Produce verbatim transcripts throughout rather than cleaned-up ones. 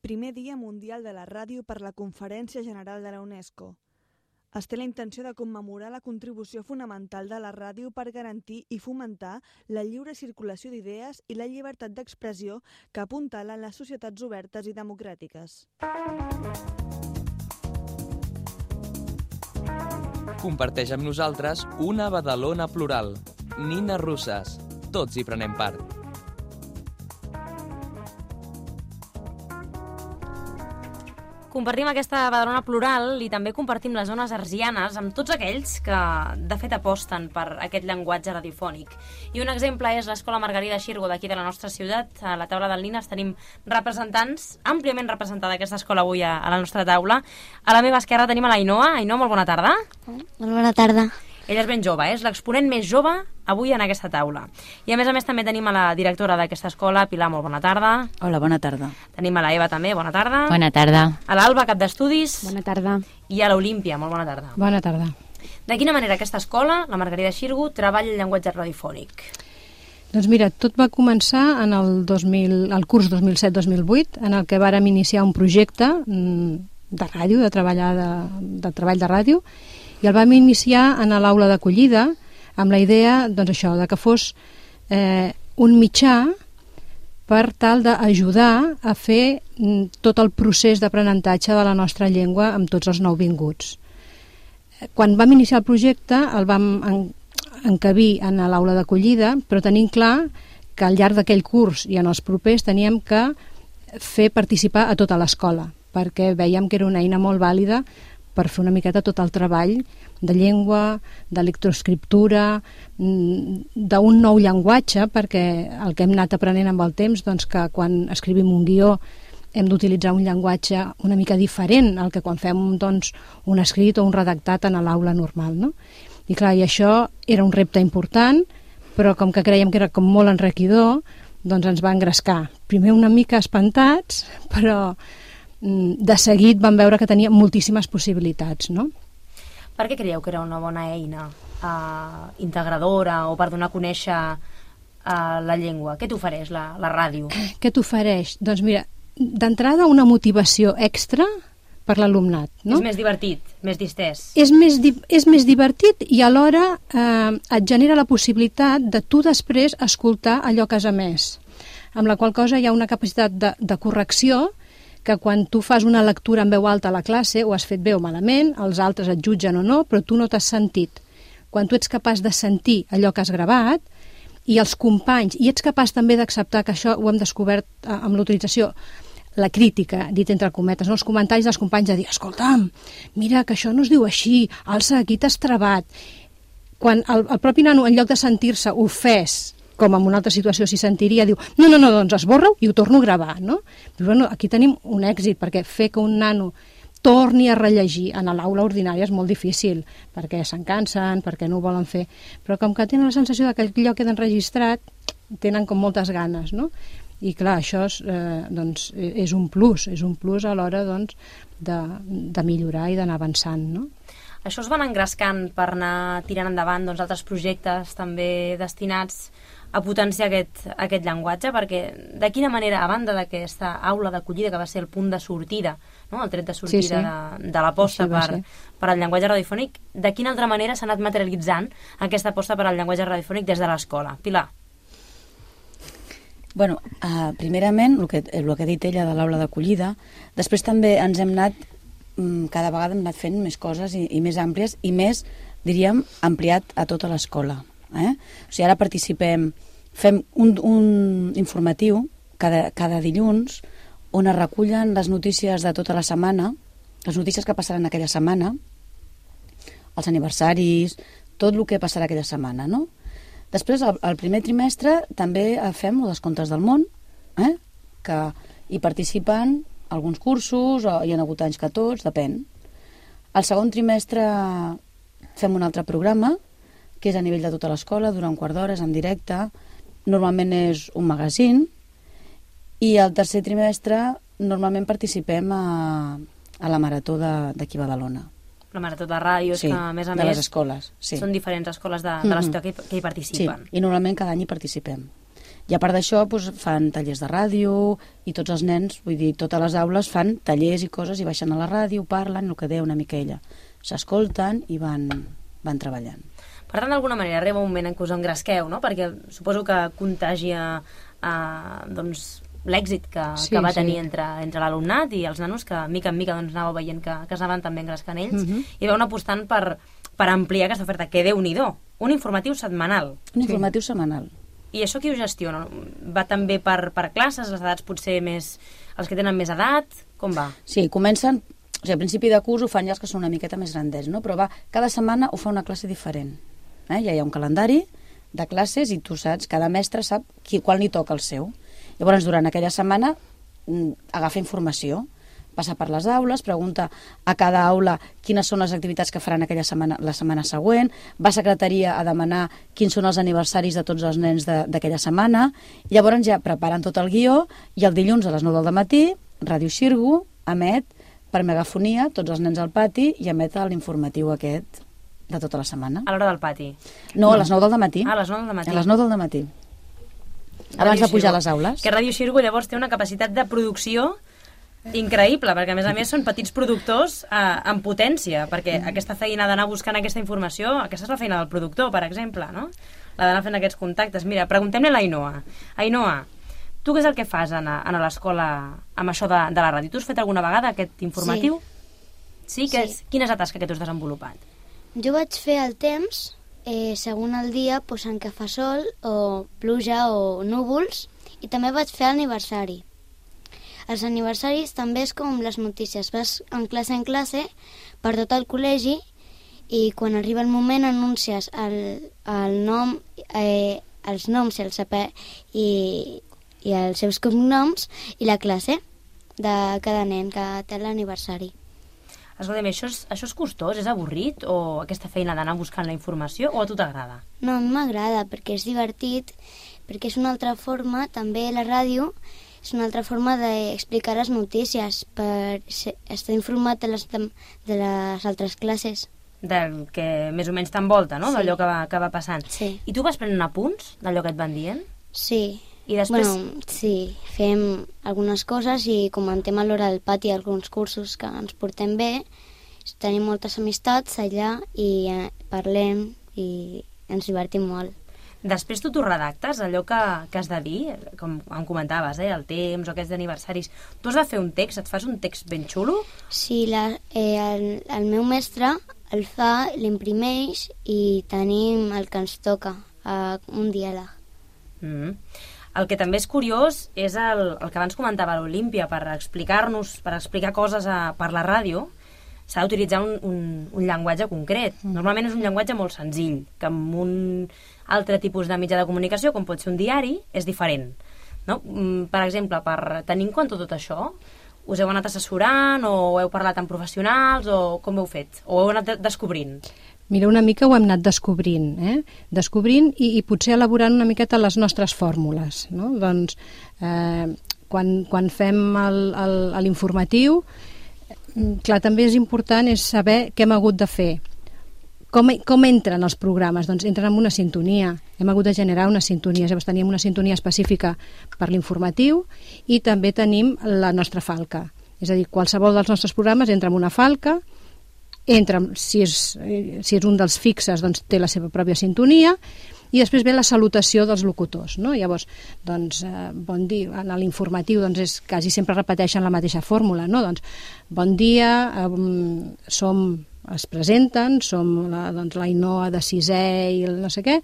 primer Dia Mundial de la Ràdio per la Conferència General de la UNESCO. Es té la intenció de commemorar la contribució fonamental de la ràdio per garantir i fomentar la lliure circulació d'idees i la llibertat d'expressió que apuntalen les societats obertes i democràtiques. Comparteix amb nosaltres una Badalona plural. Nines Russes. Tots hi prenem part. Compartim aquesta Badalona plural i també compartim les zones arsianes amb tots aquells que, de fet, aposten per aquest llenguatge radiofònic. I un exemple és l'Escola Margarida Xirgo d'aquí de la nostra ciutat. A la taula del Nines tenim representants, àmpliament representada aquesta escola avui a, a la nostra taula. A la meva esquerra tenim a l'Ainoa. Ainoa, molt bona tarda. Molt bona tarda. Ella és ben jove, eh? És l'exponent més jove avui en aquesta taula. I a més a més també tenim a la directora d'aquesta escola, Pilar, molt bona tarda. Hola, bona tarda. Tenim a la Eva també, bona tarda. Bona tarda. A l'Alba, cap d'estudis. Bona tarda. I a l'Olímpia, molt bona tarda. Bona tarda. De quina manera aquesta escola, la Margarida Xirgo, treballa el llenguatge radiofònic? Doncs mira, tot va començar en el, dos mil, el curs dos mil set dos mil vuit, en el que vàrem iniciar un projecte de ràdio, de, treballar de, de treball de ràdio, i el vam iniciar en l'aula d'acollida amb la idea, doncs això, de que fos eh, un mitjà per tal d'ajudar a fer tot el procés d'aprenentatge de la nostra llengua amb tots els nouvinguts. Quan vam iniciar el projecte el vam en, encabir en l'aula d'acollida, però tenim clar que al llarg d'aquell curs i en els propers teníem que fer participar a tota l'escola, perquè veiem que era una eina molt vàlida per fer una miqueta tot el treball de llengua, de lectoescriptura, d'un nou llenguatge, perquè el que hem anat aprenent amb el temps, doncs que quan escrivim un guió hem d'utilitzar un llenguatge una mica diferent al que quan fem doncs, un escrit o un redactat en l'aula normal, no? I clar, i això era un repte important, però com que creiem que era com molt enriquidor, doncs ens va engrescar. Primer una mica espantats, però de seguit vam veure que tenia moltíssimes possibilitats, no? Per què creieu que era una bona eina uh, integradora o per donar a conèixer uh, la llengua? Què t'ofereix la, la ràdio? Què t'ofereix? Doncs mira, d'entrada una motivació extra per l'alumnat, no? És més divertit, més distès. És més, di és més divertit i alhora eh, et genera la possibilitat de tu després escoltar allò que has emès, amb la qual cosa hi ha una capacitat de, de correcció que quan tu fas una lectura en veu alta a la classe, ho has fet bé o malament, els altres et jutgen o no, però tu no t'has sentit. Quan tu ets capaç de sentir allò que has gravat, i els companys, i ets capaç també d'acceptar que això ho hem descobert amb l'utilització, la crítica, dit entre cometes, no? Els comentaris dels companys de dir, escolta'm, mira que això no es diu així, alça, aquí t'has trebat. Quan el, el propi nano, en lloc de sentir-se ofès, com en una altra situació s'hi sentiria, diu, no, no, no, doncs esborra-ho i ho torno a gravar, no? Però, bueno, aquí tenim un èxit, perquè fer que un nano torni a rellegir en l'aula ordinària és molt difícil, perquè se'n cansen, perquè no ho volen fer, però com que tenen la sensació que allò queda enregistrat, tenen com moltes ganes, no? I clar, això és, eh, doncs, és un plus, és un plus a l'hora doncs, de, de millorar i d'anar avançant, no? Això es van engrescant per anar tirant endavant doncs, altres projectes també destinats a potenciar aquest, aquest llenguatge, perquè de quina manera, a banda d'aquesta aula d'acollida que va ser el punt de sortida, no? El tret de sortida sí, sí. de, de l'aposta per, per al llenguatge radiofònic, de quina altra manera s'ha anat materialitzant aquesta aposta per al llenguatge radiofònic des de l'escola? Pilar? Bueno, uh, primerament, el que, el que ha dit ella de l'aula d'acollida, després també ens hem anat, um, cada vegada hem anat fent més coses i, i més àmplies i més, diríem, ampliat a tota l'escola. Eh? O sigui, ara participem, fem un, un informatiu cada, cada dilluns on es recullen les notícies de tota la setmana, les notícies que passaran aquella setmana, els aniversaris, tot el que passarà aquella setmana, no? Després, al, al primer trimestre, també fem els contes del món, eh? Que hi participen alguns cursos, o hi ha hagut anys que tots, depèn. Al segon trimestre fem un altre programa, que és a nivell de tota l'escola, durant un quart d'hora, és en directe, normalment és un magazín, i al tercer trimestre normalment participem a, a la marató d'aquí a Badalona. La marató de ràdios, sí, que a més a de més les escoles, sí. Són diferents escoles de, de la ciutat que, que hi participen. Sí, i normalment cada any hi participem. I a part d'això doncs, fan tallers de ràdio i tots els nens, vull dir, totes les aules fan tallers i coses i baixen a la ràdio, parlen, el que deia una mica ella. S'escolten i van, van treballant. Per tant, d'alguna manera arriba un moment en què us engresqueu, no? Perquè suposo que contagia eh, doncs, l'èxit que, sí, que va sí. tenir entre, entre l'alumnat i els nanos, que mica en mica doncs, anàveu veient que, que s'anaven també engrescant ells, uh-huh. i veu apostant per, per ampliar aquesta oferta, que Déu-n'hi-do, un informatiu setmanal. Un informatiu sí. setmanal. I això qui ho gestiona? Va també per, per classes, les edats potser més... els que tenen més edat? Com va? Sí, comencen... O sigui, al principi de curs ho fan ja els que són una miqueta més grandets, no? Però va, cada setmana ho fa una classe diferent. Eh? Ja hi ha un calendari de classes i tu saps, cada mestre sap qui, quan li toca el seu. Llavors, durant aquella setmana, agafa informació, passa per les aules, pregunta a cada aula quines són les activitats que faran aquella setmana, la setmana següent, va a secretaria a demanar quins són els aniversaris de tots els nens d'aquella setmana, i llavors ja preparen tot el guió, i el dilluns a les nou del matí, Ràdio Xirgo emet per megafonia tots els nens al pati i emet l'informatiu aquest de tota la setmana. A l'hora del pati? No, a les nou del matí. Ah, a les nou del matí. A les nou del matí. Abans de pujar a les aules. Que Ràdio Xirgo llavors té una capacitat de producció increïble, perquè a més a més són petits productors eh, en potència, perquè mm. aquesta feina d'anar buscant aquesta informació, aquesta és la feina del productor, per exemple, no? La d'anar fent aquests contactes. Mira, preguntem-li a l'Ainoa. Ainoa, tu què és el que fas a, a l'escola amb això de, de la ràdio? Tu has fet alguna vegada aquest informatiu? Sí. Sí? Que sí. És, quina és la tasca que tu has desenvolupat? Jo vaig fer el temps, eh, segons el dia, doncs, en què fa sol, o pluja, o núvols, i també vaig fer l'aniversari. Els aniversaris també és com les notícies. Vas en classe en classe per tot el col·legi i quan arriba el moment anuncies el, el nom, eh, els noms el saper, i, i els seus cognoms i la classe de cada nen que té l'aniversari. Escolta'm, això és, això és costós? És avorrit? O aquesta feina d'anar buscant la informació? O a tu t'agrada? No, a mi m'agrada perquè és divertit, perquè és una altra forma, també la ràdio, és una altra forma d'explicar les notícies, per estar informat de les, de les altres classes. Del que més o menys t'envolta, no? Sí. D'allò que va, que va passant. Sí. I tu vas prenent apunts d'allò que et van dient? Sí. I després... Bueno, sí, fem algunes coses i comentem a l'hora del pati alguns cursos que ens portem bé, tenim moltes amistats allà i eh, parlem i ens divertim molt. Després tu t'ho redactes, allò que, que has de dir, com em comentaves, eh, el temps o aquests aniversaris. Tu has de fer un text, et fas un text ben xulo? Sí, la, eh, el, el meu mestre el fa, l'imprimeix i tenim el que ens toca, eh, un diàleg. Mm. El que també és curiós és el, el que abans comentava l'Olímpia, per explicar-nos, per explicar coses a, per la ràdio, s'ha d'utilitzar un, un, un llenguatge concret. Normalment és un llenguatge molt senzill, que amb un altre tipus de mitjà de comunicació, com pot ser un diari, és diferent. No? Per exemple, per tenir en compte tot això, us heu anat assessorant o heu parlat amb professionals o com heu fet? O heu anat descobrint? Mira, una mica ho hem anat descobrint, eh? Descobrint i, i potser elaborant una miqueta les nostres fórmules, no? Doncs, eh, quan, quan fem l'informatiu, clar, també és important és saber què hem hagut de fer. Com, com entren els programes? Doncs entren amb una sintonia. Hem hagut de generar una sintonia. Llavors teníem una sintonia específica per l'informatiu i també tenim la nostra falca. És a dir, qualsevol dels nostres programes entra en una falca, entra, si és, si és un dels fixes, doncs té la seva pròpia sintonia, i després ve la salutació dels locutors, no? Llavors, doncs, eh, bon dia, en l'informatiu doncs és, quasi sempre repeteixen la mateixa fórmula, no? Doncs, bon dia, eh, som, es presenten, som la, doncs, l'Ainoa de sisè i el no sé què,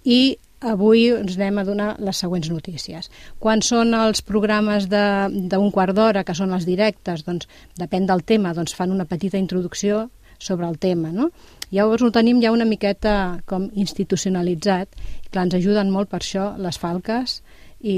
i avui ens anem a donar les següents notícies. Quan són els programes d'un quart d'hora, que són els directes, doncs, depèn del tema, doncs fan una petita introducció sobre el tema, no? Llavors ho tenim ja una miqueta com institucionalitzat, i clar, ens ajuden molt per això les falques i,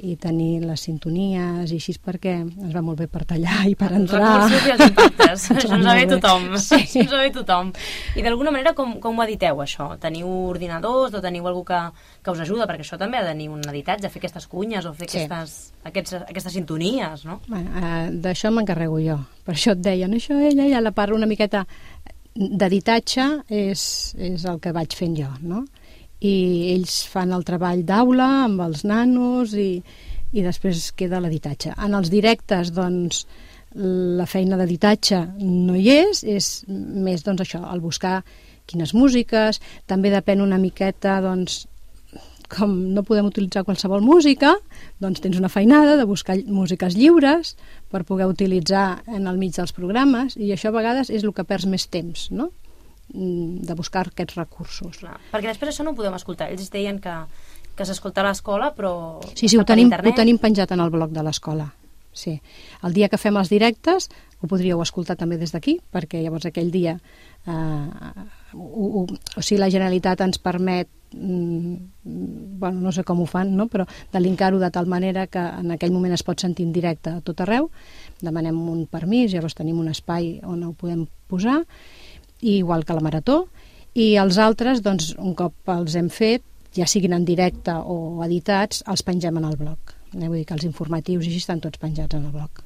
i tenir les sintonies i així, perquè ens va molt bé per tallar i per entrar. Els recursos i els impactes, això ens va bé tothom, sí. Això ens va bé tothom. I d'alguna manera com, com ho editeu això? Teniu ordinadors o teniu algú que, que us ajuda? Perquè això també ha de tenir un editatge, fer aquestes cunyes o fer sí. aquestes, aquests, aquestes sintonies, no? Bueno, eh, d'això m'encarrego jo, per això et deien, això ella ja la parla una miqueta d'editatge és, és el que vaig fent jo, no? i ells fan el treball d'aula amb els nanos i, i després queda l'editatge. En els directes, doncs, la feina d'editatge no hi és, és més, doncs, això, el buscar quines músiques, també depèn una miqueta, doncs, com no podem utilitzar qualsevol música, doncs tens una feinada de buscar músiques lliures per poder utilitzar en el mig dels programes, i això a vegades és el que perds més temps, no?, de buscar aquests recursos. Clar, perquè després això no ho podem escoltar. Ells deien que, que s'escolta a l'escola, però... Sí, sí, ho tenim, ho tenim penjat en el blog de l'escola. Sí. El dia que fem els directes ho podríeu escoltar també des d'aquí, perquè llavors aquell dia eh, o, o, o sigui, la Generalitat ens permet, mm, bueno, no sé com ho fan, no? Però de linkar-ho de tal manera que en aquell moment es pot sentir en directe a tot arreu, demanem un permís, llavors tenim un espai on ho podem posar, i igual que la Marató, i els altres, doncs, un cop els hem fet, ja siguin en directe o editats, els pengem en el blog. Eh? Vull dir que els informatius i així estan tots penjats en el blog.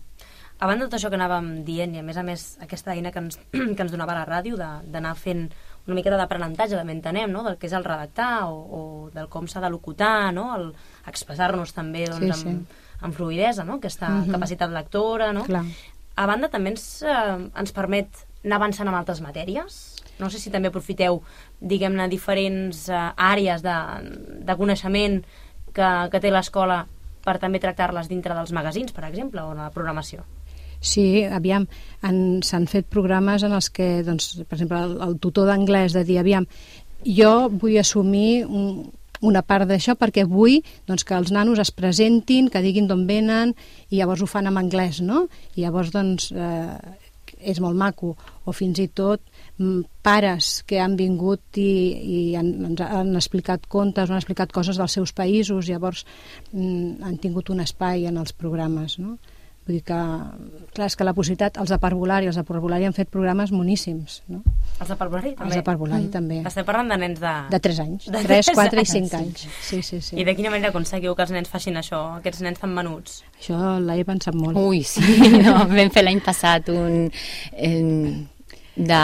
A banda de tot això que anàvem dient, i a més a més aquesta eina que ens, que ens donava la ràdio, d'anar fent una miqueta d'aprenentatge, també entenem, no?, del que és el redactar o, o del com s'ha de locutar, no?, el expressar-nos també, doncs, sí, sí. Amb, amb fluïdesa, no?, aquesta uh-huh. capacitat lectora, no? Clar. A banda també ens, eh, ens permet anar avançant amb altres matèries. No sé si també aprofiteu, diguem-ne, diferents eh, àrees de, de coneixement que, que té l'escola per també tractar-les dintre dels magazins, per exemple, o en la programació. Sí, aviam, s'han fet programes en els que, doncs, per exemple, el, el tutor d'anglès de dir, aviam, jo vull assumir un, una part d'això perquè vull, doncs, que els nanos es presentin, que diguin d'on venen, i llavors ho fan en anglès, no? I llavors, doncs, eh, és molt maco, o fins i tot pares que han vingut i, i han, ens han explicat contes, han explicat coses dels seus països, llavors mm, han tingut un espai en els programes, no? Vull dir que, clar, és que la possibilitat, els de parvulari, els de parvulari han fet programes moníssims, no? Els de parvulari també? Els de parvulari mm. també. Estem parlant de nens de... De tres anys, de tres, quatre i cinc anys. Sí, sí, sí. I de quina manera aconseguiu que els nens facin això, aquests nens tan menuts? Això l'he pensat molt. Ui, sí, no, vam fer l'any passat un... Eh, de...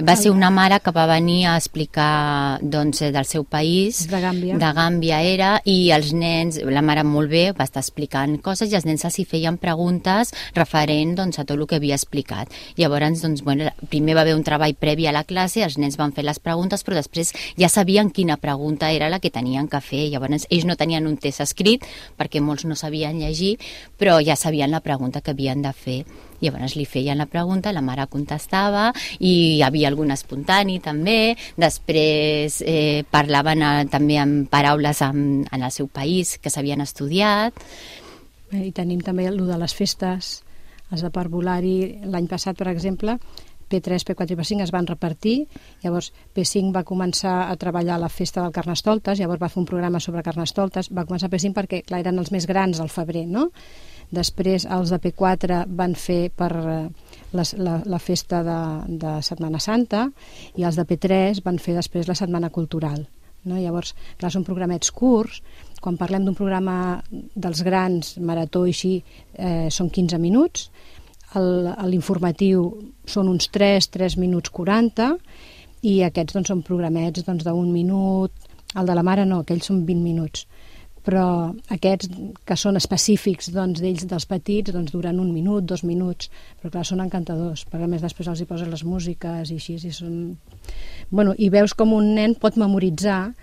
va ser una mare que va venir a explicar, doncs, del seu país, de Gàmbia. de Gàmbia era, i els nens, la mare molt bé va estar explicant coses i els nens els hi feien preguntes referent, doncs, a tot el que havia explicat. Llavors, doncs, bueno, primer va haver un treball previ a la classe, els nens van fer les preguntes, però després ja sabien quina pregunta era la que tenien que fer. Llavors ells no tenien un test escrit perquè molts no sabien llegir, però ja sabien la pregunta que havien de fer. Llavors li feien la pregunta, la mare contestava, i hi havia algun espontani també. Després eh, parlaven a, també amb paraules en, en el seu país que s'havien estudiat. I tenim també el de les festes, els de parvulari. L'any passat, per exemple, P tres, P quatre i P cinc es van repartir, llavors P cinc va començar a treballar a la festa del Carnestoltes, llavors va fer un programa sobre Carnestoltes, va començar P cinc perquè, clar, eren els més grans al febrer, no? Després els de P quatre van fer per la, la, la festa de, de Setmana Santa, i els de P tres van fer després la Setmana Cultural, no? Llavors, clar, són programets curts. Quan parlem d'un programa dels grans, marató i així, eh, són quinze minuts. L'informatiu són uns tres, tres minuts quaranta, i aquests, doncs, són programets, doncs, d'un minut. El de la mare no, aquells són vint minuts. Però aquests que són específics, doncs, d'ells, dels petits, doncs, duren un minut, dos minuts, però clar, són encantadors, perquè a més després els hi posen les músiques i així, i són... Bueno, i veus com un nen pot memoritzar,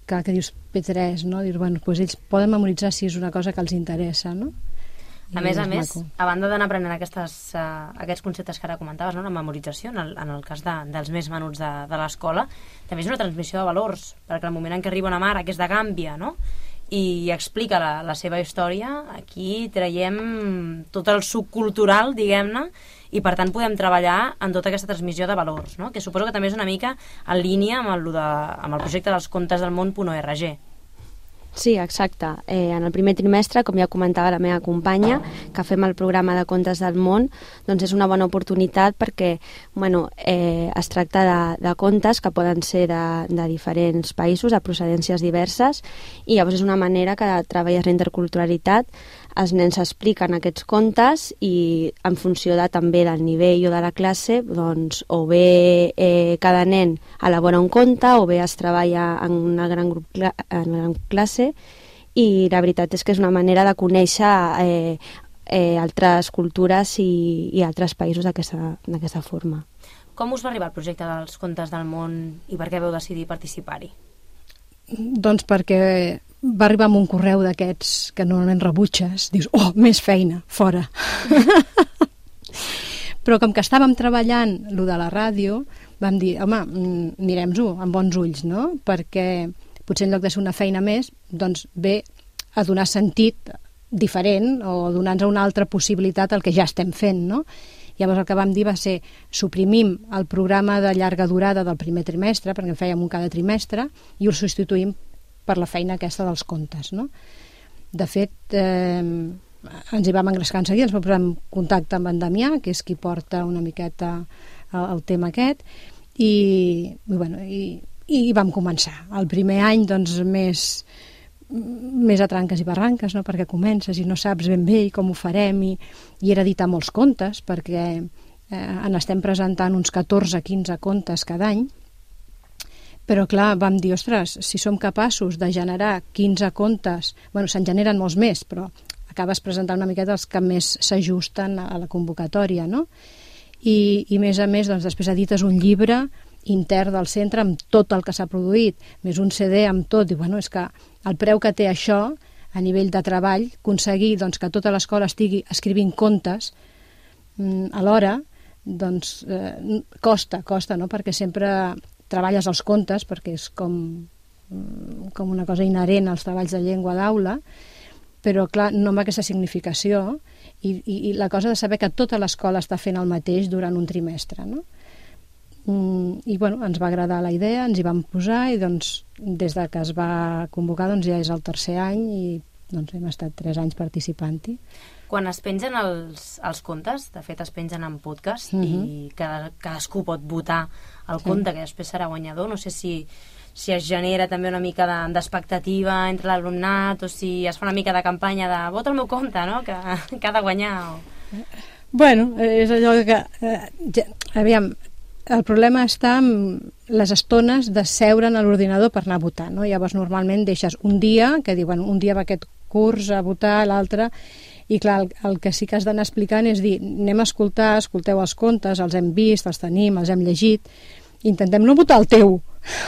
que, que dius P tres, no? Dius, bueno, doncs ells poden memoritzar si és una cosa que els interessa, no? I a més a més, maco. A banda d'anar aprenent aquestes, uh, aquests conceptes que ara comentaves, no? La memorització, en el, en el cas de, dels més menuts de, de l'escola, també és una transmissió de valors, perquè al moment en què arriba una mare que és de Gàmbia, no?, i explica la, la seva història, aquí traiem tot el suc cultural, diguem-ne, i per tant podem treballar en tota aquesta transmissió de valors, no?, que suposo que també és una mica en línia amb el, de, amb el projecte dels contes del món punt org. Sí, exacte. Eh, en el primer trimestre, com ja comentava la meva companya, que fem el programa de Contes del Món, doncs és una bona oportunitat perquè, bueno, eh, es tracta de, de contes que poden ser de, de diferents països, de procedències diverses, i llavors és una manera que treballes la interculturalitat els nens expliquen aquests contes i en funció de, també del nivell o de la classe, doncs, o bé eh, cada nen elabora un conte o bé es treballa en una gran, grup, en una gran classe, i la veritat és que és una manera de conèixer eh, eh, altres cultures i, i altres països d'aquesta forma. Com us va arribar el projecte dels Contes del Món i per què vau decidir participar-hi? Doncs perquè va arribar amb un correu d'aquests que normalment rebutges, dius, oh, més feina, fora. Però com que estàvem treballant lo de la ràdio, vam dir, home, mirem-ho amb bons ulls, no? Perquè potser en lloc de ser una feina més, doncs ve a donar sentit diferent o donar-nos una altra possibilitat al que ja estem fent, no? Llavors el que vam dir va ser suprimim el programa de llarga durada del primer trimestre, perquè en fèiem un cada trimestre, i el substituïm per la feina aquesta dels contes, no? De fet, eh, ens hi vam engrescar en seguida, ens vam posar en contacte amb en Damià, que és qui porta una miqueta el, el tema aquest, i, i, bueno, i, i vam començar. El primer any, doncs, més... més a tranques i barranques, no? Perquè comences i no saps ben bé com ho farem, i, i era editar molts contes, perquè eh, en estem presentant uns catorze a quinze contes cada any, però clar, vam dir, ostres, si som capaços de generar quinze contes, bueno, se'n generen molts més, però acabes presentant una miqueta els que més s'ajusten a la convocatòria, no? I, i més a més, doncs, després edites un llibre intern del centre amb tot el que s'ha produït, més un C D amb tot, i bueno, és que el preu que té això a nivell de treball, aconseguir doncs, que tota l'escola estigui escrivint contes mm, alhora, doncs eh, costa, costa, no? Perquè sempre treballes els contes, perquè és com, com una cosa inherent als treballs de llengua d'aula, però clar, no amb aquesta significació, i, i, i la cosa de saber que tota l'escola està fent el mateix durant un trimestre, no? I bueno, ens va agradar la idea, ens hi vam posar, i doncs des de que es va convocar doncs ja és el tercer any i doncs hem estat tres anys participant-hi. Quan es pengen els, els contes, de fet es pengen en podcast, mm-hmm. i cada, cadascú pot votar el conte, sí, que després serà guanyador. No sé si, si es genera també una mica d'expectativa de, entre l'alumnat, o si es fa una mica de campanya de vota el meu conte, no? que, que ha de guanyar. O... Bueno, és allò que... Eh, ja, aviam, el problema està amb les estones de seure a l'ordinador per anar a votar, no? Llavors normalment deixes un dia, que diuen un dia va aquest curs a votar, l'altre, i clar, el, el que sí que has d'anar explicant és dir, anem a escoltar, escolteu els contes, els hem vist, els tenim, els hem llegit, intentem no votar el teu,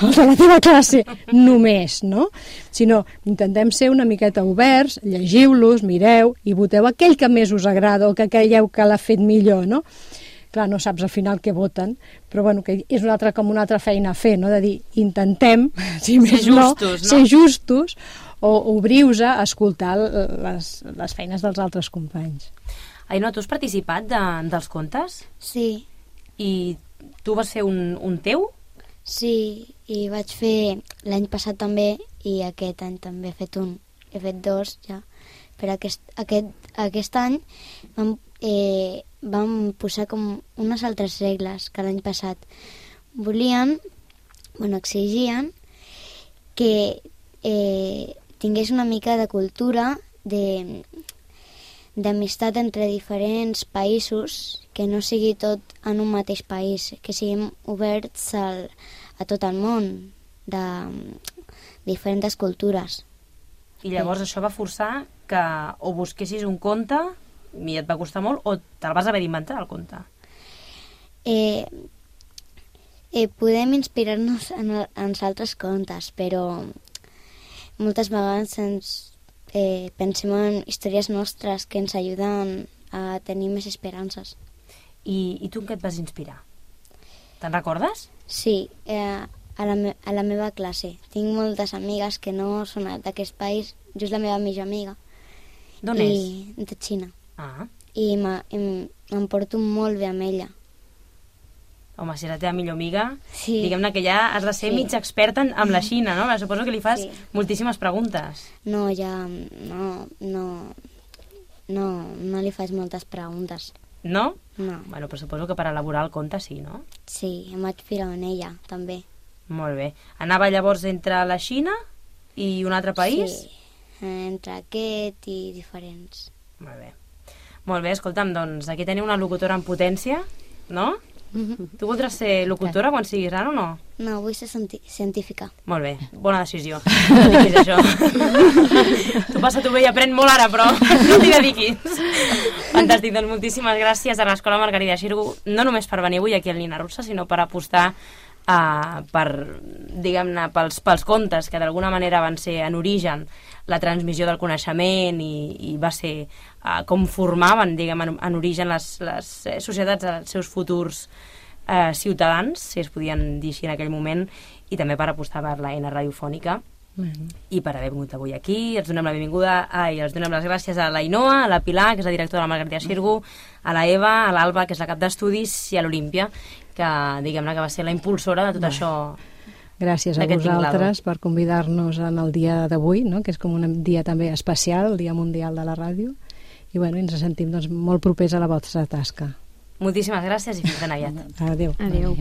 el de la teva classe, només, no? Sinó intentem ser una miqueta oberts, llegiu-los, mireu, i voteu aquell que més us agrada o que creieu que l'ha fet millor, no? Clar, no saps al final què voten, però bueno, que és una altra, com una altra feina a fer, no? De dir, intentem, si més no, justos, no? ser justos, o obriu-vos a escoltar les, les feines dels altres companys. Ainhoa, tu has participat de, dels contes? Sí. I tu vas fer un, un teu? Sí, i vaig fer l'any passat també, i aquest any també he fet un. He fet dos, ja. Però aquest, aquest, aquest any vam... Eh, vam posar com unes altres regles que l'any passat. Volien, bueno, exigien que eh, tingués una mica de cultura, de d'amistat entre diferents països, que no sigui tot en un mateix país, que siguem oberts al, a tot el món, de diferents cultures. I llavors això va forçar que o busquessis un conte i et va costar molt, o te'l vas haver d'inventar, el conte? Eh, eh, podem inspirar-nos en, en altres contes, però moltes vegades ens eh, pensem en històries nostres que ens ajuden a tenir més esperances. I, i tu en què et vas inspirar? Te'n recordes? Sí, eh, a, la me a la meva classe. Tinc moltes amigues que no són d'aquest país, just la meva millor amiga. D'on és? De Xina. Ah. I em porto molt bé amb ella. Home, si és la teva millor amiga, sí, diguem-ne que ja has de ser sí. mig experta en, amb la Xina, no? Suposo que li fas sí. moltíssimes preguntes. No, ja no, no, no, no li faig moltes preguntes. No? No. Bueno, però suposo que per elaborar el conte sí, no? Sí, em vaig filar en ella, també. Molt bé. Anava llavors entre la Xina i un altre país? Sí. eh, entre aquest i diferents. Molt bé. Molt bé, escolta'm, doncs aquí teniu una locutora en potència, no? Tu voldràs ser locutora quan siguis gran o no? No, vull ser científica. Molt bé, bona decisió. No dediquis a això. Tu passa tu bé i aprèn molt ara, però no t'hi dediquis. Fantàstic, doncs moltíssimes gràcies a l'Escola Margarida Xirgu, no només per venir avui aquí al Nina Russa, sinó per apostar Uh, per, diguem-ne, pels, pels contes que d'alguna manera van ser en origen la transmissió del coneixement i, i va ser uh, com formaven, diguem, en, en origen les, les societats dels seus futurs uh, ciutadans, si es podien dir així en aquell moment, i també per apostar per l'eina radiofònica. Mm-hmm. I per haver vingut avui aquí. Els donem la benvinguda i els donem les gràcies a l'Ainoa, a la Pilar, que és la directora de la Margarida Xirgu, a la Eva, a l'Alba, que és la cap d'estudis, i a l'Olímpia, que diguem-ne que va ser la impulsora de tot això. Gràcies a vosaltres per convidar-nos en el dia d'avui, no? Que és com un dia també especial, el Dia Mundial de la Ràdio, i bueno, ens sentim doncs, molt propers a la vostra tasca. Moltíssimes gràcies i fins ben aviat. Adéu. Adéu.